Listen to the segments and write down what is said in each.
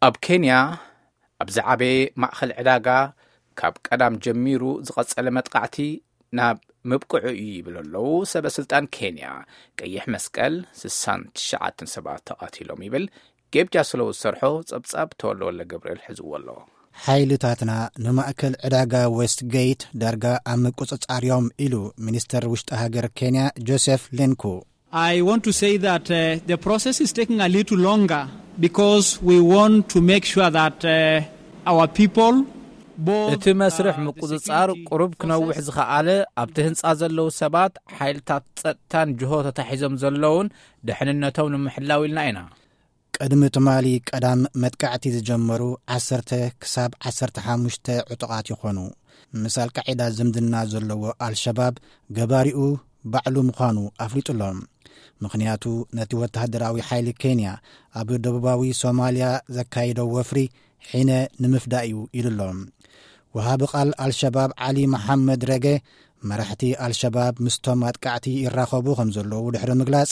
ኣብ ኬንያ ኣብ ዝዓበየ ማእኸል ዕዳጋ ካብ ቀዳም ጀሚሩ ዝቐጸለ መጥቃዕቲ ናብ ምብቅዑ እዩ ይብሉ ኣለዉ ሰበ ስልጣን ኬንያ። ቀይሕ መስቀል ስሳን ትሽዓተን ሰባት ተቓቲሎም ይብል። ጌብጃ ስለው ዝሰርሖ ጸብጻብ ተወልደ ወልደ ገብርኤል ሒዝዎ ኣሎ። ሓይልታትና ንማእከል ዕዳጋ ዌስት ጌት ዳርጋ ኣብ ምቁጽጻር እዮም ኢሉ ሚኒስተር ውሽጢ ሃገር ኬንያ ጆሴፍ ሌንኩ። I want to say that uh, the process is taking a little longer because we want to make sure that uh, our people, both እቲ መስርሕ uh, the ምቁጽጻር security ቁሩብ ክነውሕ forces ዝኸኣለ ኣብቲ ህንጻ ዘለዉ ሰባት፣ ሓይልታት ጸጥታን ጅሆ ተታሒዞም ዘለዉን ድሕንነቶም ንምሕላው ኢልና ኢና። ቅድሚ ትማሊ ቀዳም መጥቃዕቲ ዝጀመሩ ዓሰርተ ክሳብ ዓሰርተ ሓሙሽተ ዕጡቓት ይኾኑ። ምስ ኣልቃዒዳ ዝምድና ዘለዎ ኣልሸባብ ገባሪኡ ባዕሉ ምዃኑ ኣፍሊጡ ኣሎ። ምኽንያቱ ነቲ ወተሃደራዊ ሓይሊ ኬንያ ኣብ ደቡባዊ ሶማልያ ዘካየዶ ወፍሪ ሒነ ንምፍዳእ እዩ ኢሉ ኣሎ። ወሃቢ ቃል ኣልሸባብ ዓሊ መሓመድ ረገ፣ መራሕቲ ኣልሸባብ ምስቶም ኣጥቃዕቲ ይራኸቡ ከም ዘለዉ ድሕሪ ምግላጽ፣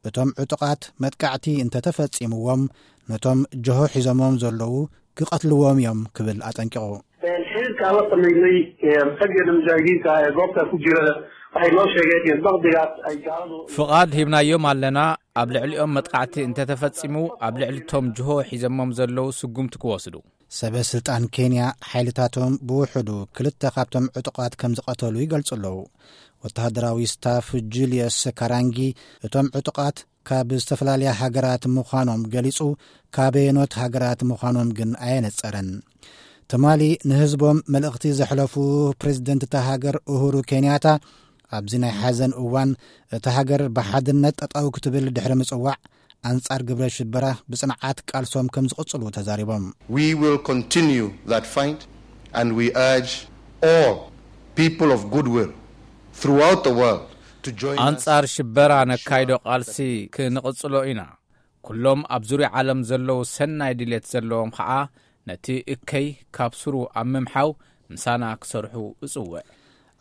እቶም ዕጡቓት መጥቃዕቲ እንተተፈጺምዎም ነቶም ጀሆ ሒዞሞም ዘለዉ ክቐትልዎም እዮም ክብል ኣጠንቂቑ። Xiriirka aan la sameynay raggeena mujaahidiinta ah ee goobta ku jira waxay noo sheegeen in baqdigaas ay gaaladu ፍቓድ ሂብናዮም ኣለና። ኣብ ልዕሊኦም መጥቃዕቲ እንተተፈጺሙ ኣብ ልዕሊ ቶም ጅሆ ሒዘሞም ዘለዉ ስጉምቲ ክወስዱ። ሰበ ስልጣን ኬንያ ሓይልታቶም ብውሕዱ ክልተ ካብቶም ዕጡቓት ከም ዝቐተሉ ይገልጹ ኣለዉ። ወተሃደራዊ ስታፍ ጁልየስ ካራንጊ እቶም ዕጡቓት ካብ ዝተፈላለያ ሃገራት ምዃኖም ገሊጹ፣ ካበየኖት ሃገራት ምዃኖም ግን ኣየነጸረን። ትማሊ ንህዝቦም መልእኽቲ ዘሕለፉ ፕሬዝደንት እታ ሃገር ኡሁሩ ኬንያታ ኣብዚ ናይ ሓዘን እዋን እታ ሃገር ብሓድነት ጠጠው ክትብል ድሕሪ ምጽዋዕ ኣንጻር ግብረ ሽበራ ብጽንዓት ቃልሶም ከም ዝቕጽሉ ተዛሪቦም። We will continue that fight and we urge all people of goodwill throughout the world to join us. ኣንጻር ሽበራ ነካይዶ ቃልሲ ክንቕጽሎ ኢና። ኩሎም ኣብ ዙርያ ዓለም ዘለዉ ሰናይ ድሌት ዘለዎም ኸዓ ነቲ እከይ ካብ ስሩ ኣብ ምምሓው ምሳና ክሰርሑ እጽውዕ።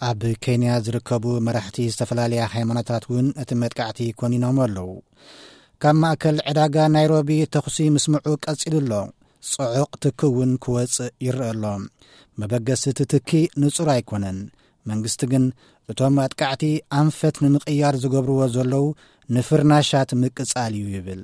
ኣብ ኬንያ ዝርከቡ መራሕቲ ዝተፈላለያ ሃይማኖታት እውን እቲ መጥቃዕቲ ኮኒኖም ኣለዉ። ካብ ማእከል ዕዳጋ ናይሮቢ ተኹሲ ምስምዑ ቀጺሉ ኣሎ። ጽዑቕ ትኪ እውን ክወጽእ ይረአ ኣሎ። መበገሲ እቲ ትኪ ንጹር ኣይኮነን። መንግስቲ ግን እቶም ኣጥቃዕቲ ኣንፈት ንምቕያር ዝገብርዎ ዘለዉ ንፍርናሻት ምቅጻል እዩ ይብል።